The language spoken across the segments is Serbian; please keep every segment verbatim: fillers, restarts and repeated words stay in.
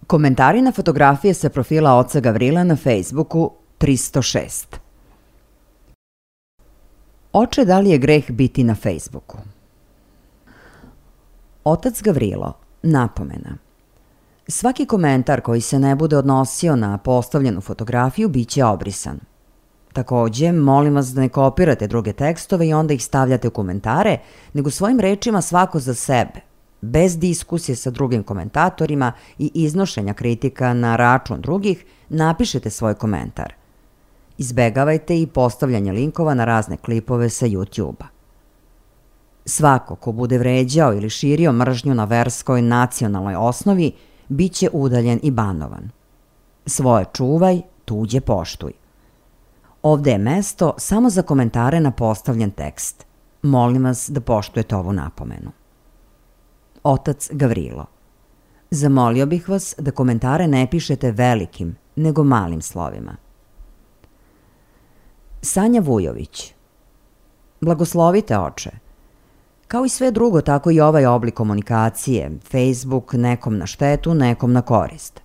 Komentari na fotografije sa profila oca Gavrila na Facebooku tristo šest. Oče, da li je greh biti na Facebooku? Otac Gavrilo, napomena. Svaki komentar koji se ne bude odnosio na postavljenu fotografiju biće obrisan. Takođe, molim vas da ne kopirate druge tekstove i onda ih stavljate u komentare, nego svojim rečima svako za sebe, bez diskusije sa drugim komentatorima i iznošenja kritika na račun drugih, napišete svoj komentar. Izbegavajte i postavljanje linkova na razne klipove sa YouTube-a. Svako ko bude vređao ili širio mržnju na verskoj nacionalnoj osnovi, bit će udaljen i banovan. Svoje čuvaj, tuđe poštuj. Ovde je mesto samo za komentare na postavljen tekst. Molim vas da poštujete ovu napomenu. Otac Gavrilo. Zamolio bih vas da komentare ne pišete velikim, nego malim slovima. Sanja Vujović. Blagoslovite, oče. Kao i sve drugo, tako i ovaj oblik komunikacije, Facebook nekom na štetu, nekom na korist.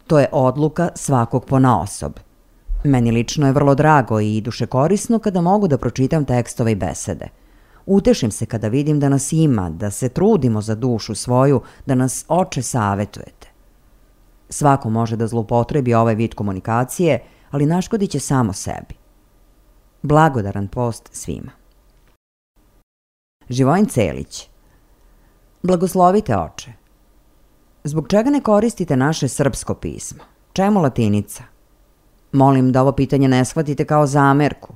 To je odluka svakog ponaosob. Meni lično je vrlo drago i duše korisno kada mogu da pročitam tekstove i besede. Utešim se kada vidim da nas ima, da se trudimo za dušu svoju, da nas, oče, savetujete. Svako može da zloupotrebi ovaj vid komunikacije, ali naškodit će samo sebi. Blagodaran post svima. Živojin Celić. Blagoslovite, oče. Zbog čega ne koristite naše srpsko pismo? Čemu latinica? Molim da ovo pitanje ne shvatite kao zamerku.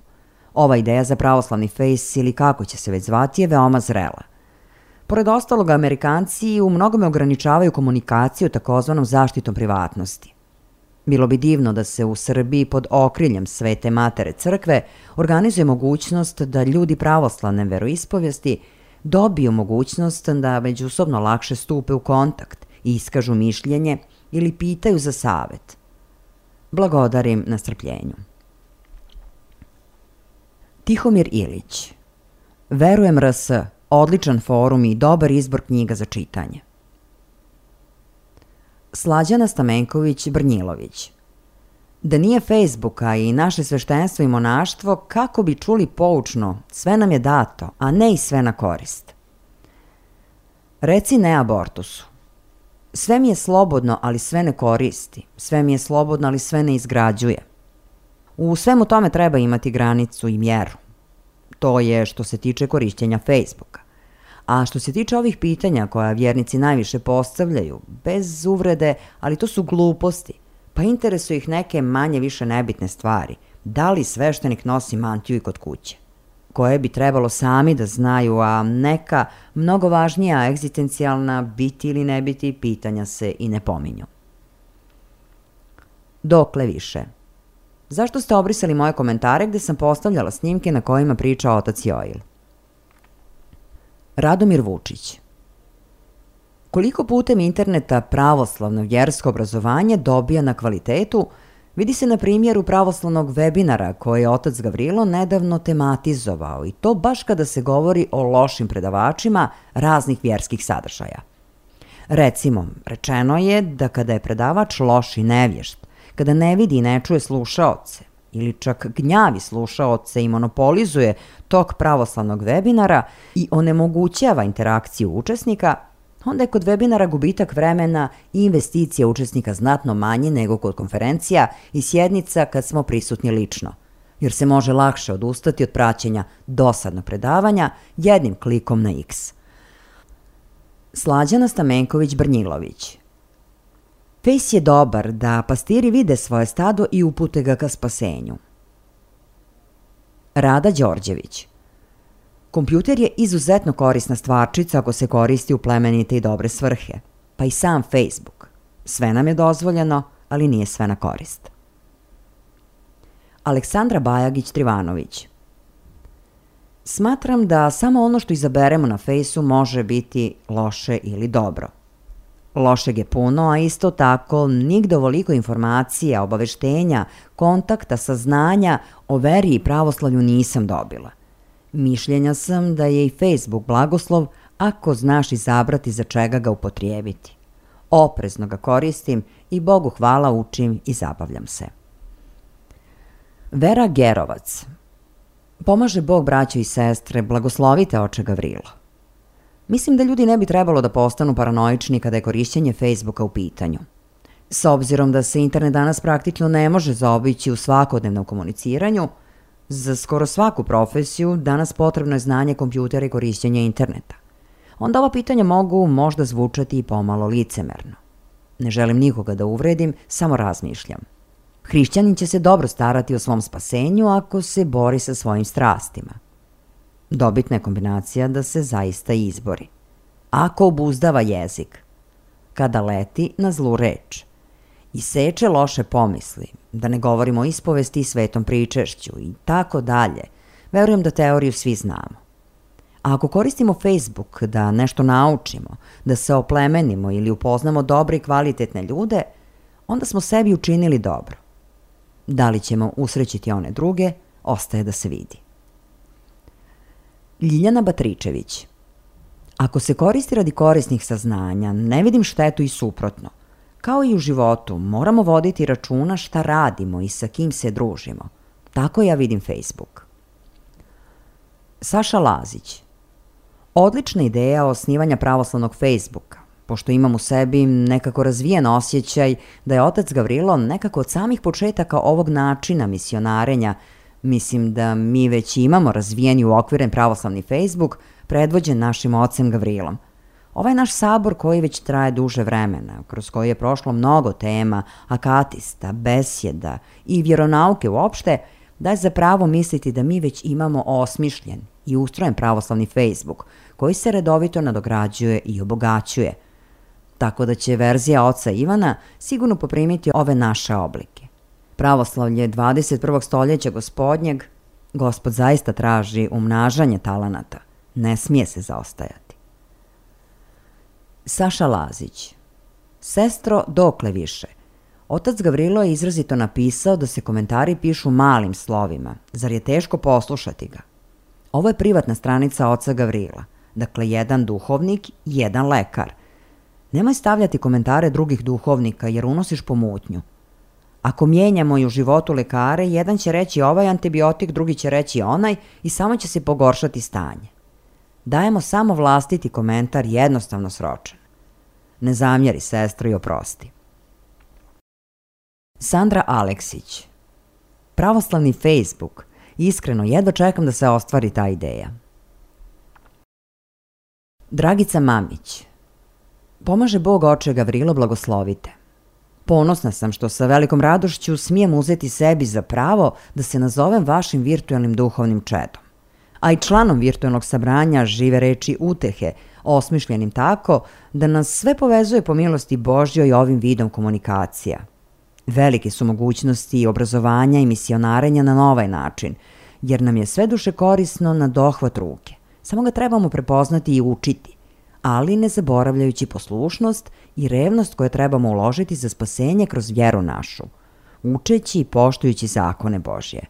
Ova ideja za pravoslavni fejs ili kako će se već zvati je veoma zrela. Pored ostalog, Amerikanci u mnogome ograničavaju komunikaciju takozvanom zaštitom privatnosti. Bilo bi divno da se u Srbiji pod okriljem Svete Matere Crkve organizuje mogućnost da ljudi pravoslavne veroispovesti dobiju mogućnost da međusobno lakše stupe u kontakt i iskažu mišljenje ili pitaju za savet. Blagodarim na strpljenju. Tihomir Ilić. Verujem R S, odličan forum i dobar izbor knjiga za čitanje. Slađana Stamenković Brnjilović. Da nije Facebooka i naše sveštenstvo i monaštvo, kako bi čuli poučno, sve nam je dato, a ne i sve na korist. Reci ne abortusu. Sve mi je slobodno, ali sve ne koristi. Sve mi je slobodno, ali sve ne izgrađuje. U svemu tome treba imati granicu i mjeru. To je što se tiče korišćenja Facebooka. A što se tiče ovih pitanja koja vjernici najviše postavljaju, bez uvrede, ali to su gluposti, pa interesuju ih neke manje više nebitne stvari. Da li sveštenik nosi mantiju i kod kuće? Koje bi trebalo sami da znaju, a neka mnogo važnija egzistencijalna biti ili ne biti pitanja se i ne pominju. Dokle više? Zašto ste obrisali moje komentare gde sam postavljala snimke na kojima priča otac Joil? Radomir Vučić. Koliko putem interneta pravoslavno vjersko obrazovanje dobija na kvalitetu, vidi se na primjeru pravoslavnog webinara koje je otac Gavrilo nedavno tematizovao, i to baš kada se govori o lošim predavačima raznih vjerskih sadržaja. Recimo, rečeno je da kada je predavač loš i nevješt, kada ne vidi i ne čuje slušaoce, ili čak gnjavi slušaoce i monopolizuje tok pravoslavnog webinara i onemogućava interakciju učesnika, onda je kod webinara gubitak vremena i investicija učesnika znatno manji nego kod konferencija i sjednica kad smo prisutni lično, jer se može lakše odustati od praćenja dosadnog predavanja jednim klikom na X. Slađana Stamenković Brnjilović. Fejs je dobar da pastiri vide svoje stado i upute ga ka spasenju. Rada Đorđević. Kompjuter je izuzetno korisna stvarčica ako se koristi u plemenite i dobre svrhe, pa i sam Facebook. Sve nam je dozvoljeno, ali nije sve na korist. Aleksandra Bajagić-Trivanović. Smatram da samo ono što izaberemo na Fejsu može biti loše ili dobro. Lošeg je puno, a isto tako nigde ovoliko informacija, obaveštenja, kontakta, saznanja o veri i pravoslavlju nisam dobila. Mišljenja sam da je i Facebook blagoslov ako znaš izabrati za čega ga upotrijebiti. Oprezno ga koristim i Bogu hvala učim i zabavljam se. Vera Gerovac. Pomaže Bog, braćo i sestre, blagoslovite oče Gavrilo. Mislim da ljudi ne bi trebalo da postanu paranoični kada je korišćenje Facebooka u pitanju. S obzirom da se internet danas praktično ne može zaobići u svakodnevnom komuniciranju, Za skoro svaku profesiju danas potrebno je znanje kompjutera i korišćenje interneta. Onda ova pitanja mogu možda zvučati i pomalo licemerno. Ne želim nikoga da uvredim, samo razmišljam. Hrišćanin će se dobro starati o svom spasenju ako se bori sa svojim strastima. Dobitna je kombinacija da se zaista izbori. Ako obuzdava jezik, kada leti na zlu reč, i seče loše pomisli, da ne govorimo o ispovesti i svetom pričešću i tako dalje, verujem da teoriju svi znamo. A ako koristimo Facebook da nešto naučimo, da se oplemenimo ili upoznamo dobre i kvalitetne ljude, onda smo sebi učinili dobro. Da li ćemo usrećiti one druge, ostaje da se vidi. Ljiljana Batričević. Ako se koristi radi korisnih saznanja, ne vidim štetu i suprotno. Kao i u životu, moramo voditi računa šta radimo i sa kim se družimo. Tako ja vidim Facebook. Saša Lazić. Odlična ideja osnivanja pravoslavnog Facebooka, pošto imam u sebi nekako razvijen osjećaj da je otac Gavrilo nekako od samih početaka ovog načina misionarenja, mislim da mi već imamo razvijeni uokviren pravoslavni Facebook, predvođen našim ocem Gavrilom. Ovaj naš sabor koji već traje duže vremena, kroz koji je prošlo mnogo tema, akatista, besjeda i vjeronauke uopšte, daje za pravo misliti da mi već imamo osmišljen i ustrojen pravoslavni Facebook, koji se redovito nadograđuje i obogaćuje. Tako da će verzija oca Ivana sigurno poprimiti ove naše oblike. Pravoslavlje dvadeset prvog stoljeća gospodnjeg, Gospod zaista traži umnažanje talenata, ne smije se zaostajati. Saša Lazić. Sestro, dokle više? Otac Gavrilo je izrazito napisao da se komentari pišu malim slovima, zar je teško poslušati ga? Ovo je privatna stranica oca Gavrila, dakle jedan duhovnik, jedan lekar. Nemoj stavljati komentare drugih duhovnika jer unosiš pomutnju. Ako mijenjamo i u životu lekare, jedan će reći ovaj antibiotik, drugi će reći onaj i samo će se pogoršati stanje. Dajemo samo vlastiti komentar jednostavno sročen. Ne zamjeri, sestro, i oprosti. Sandra Aleksić. Pravoslavni Facebook. Iskreno, jedva čekam da se ostvari ta ideja. Dragica Mamić. Pomaže Bog oče Gavrilo, blagoslovite. Ponosna sam što sa velikom radošću smijem uzeti sebi za pravo da se nazovem vašim virtualnim duhovnim čedom, a i članom virtualnog sabranja Žive reči utehe, osmišljenim tako da nas sve povezuje po milosti Božjoj ovim vidom komunikacija. Velike su mogućnosti obrazovanja i misionarenja na ovaj način, jer nam je sve duše korisno na dohvat ruke. Samo ga trebamo prepoznati i učiti, ali ne zaboravljajući poslušnost i revnost koje trebamo uložiti za spasenje kroz vjeru našu, učeći i poštujući zakone Božje.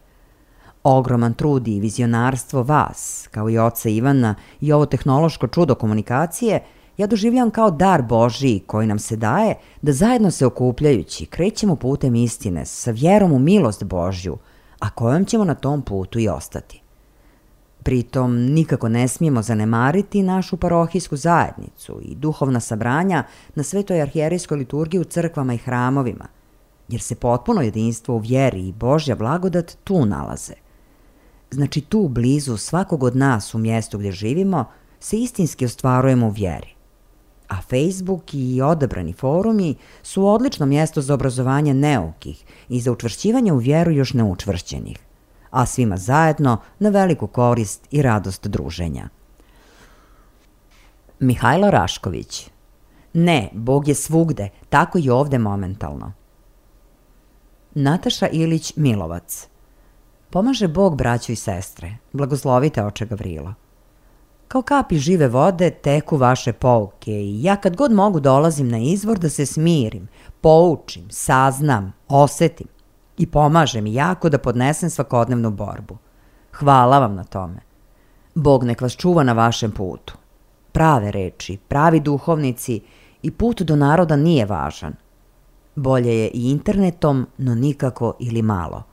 Ogroman trud i vizionarstvo vas, kao i oca Ivana i ovo tehnološko čudo komunikacije, ja doživljam kao dar Božiji koji nam se daje da zajedno se okupljajući krećemo putem istine sa vjerom u milost Božju, a kojom ćemo na tom putu i ostati. Pritom nikako ne smijemo zanemariti našu parohijsku zajednicu i duhovna sabranja na Svetoj arhijerijskoj liturgiji u crkvama i hramovima, jer se potpuno jedinstvo u vjeri i Božja blagodat tu nalaze. Znači tu blizu svakog od nas u mjestu gdje živimo se istinski ostvarujemo u vjeri. A Facebook i odabrani forumi su odlično mjesto za obrazovanje neukih i za učvršćivanje u vjeru još neučvršćenih, a svima zajedno na veliku korist i radost druženja. Mihajlo Rašković. Ne, Bog je svugde, tako i ovde momentalno. Nataša Ilić Milovac. Pomaže Bog, braćo i sestre, blagoslovite oče Gavrilo. Kao kapi žive vode teku vaše pouke i ja kad god mogu dolazim na izvor da se smirim, poučim, saznam, osetim i pomaže mi jako da podnesem svakodnevnu borbu. Hvala vam na tome. Bog nek vas čuva na vašem putu. Prave reči, pravi duhovnici i put do naroda nije važan. Bolje je i internetom, no nikako ili malo.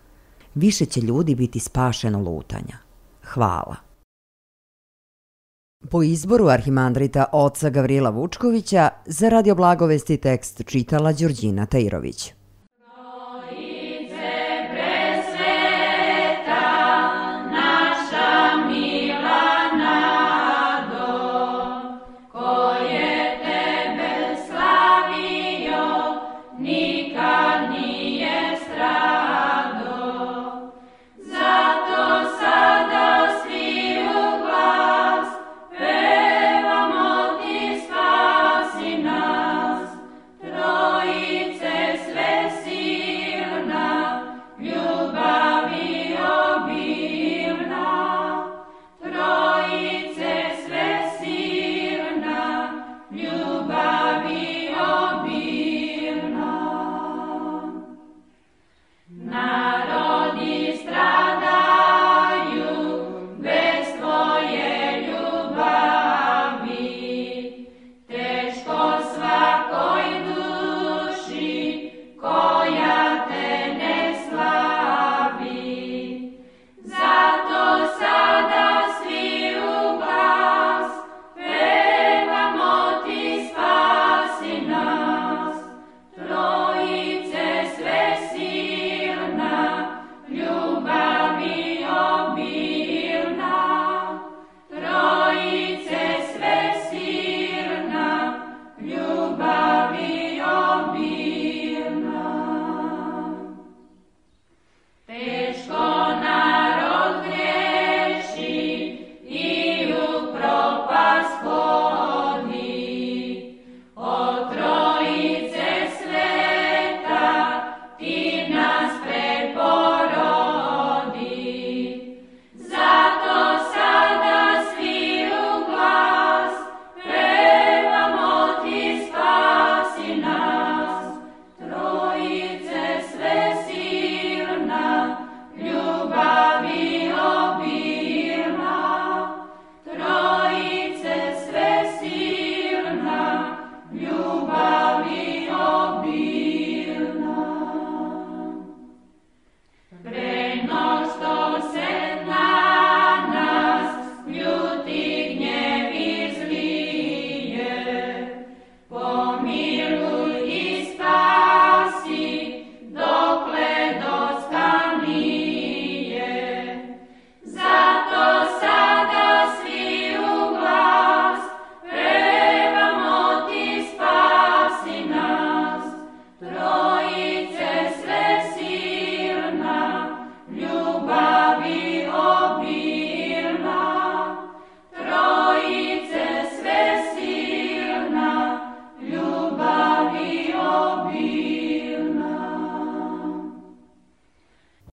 Više će ljudi biti spašeno lutanja. Hvala. Po izboru arhimandrita oca Gavrila Vučkovića za Radio Blagovesti tekst čitala Đurđina Tajirović.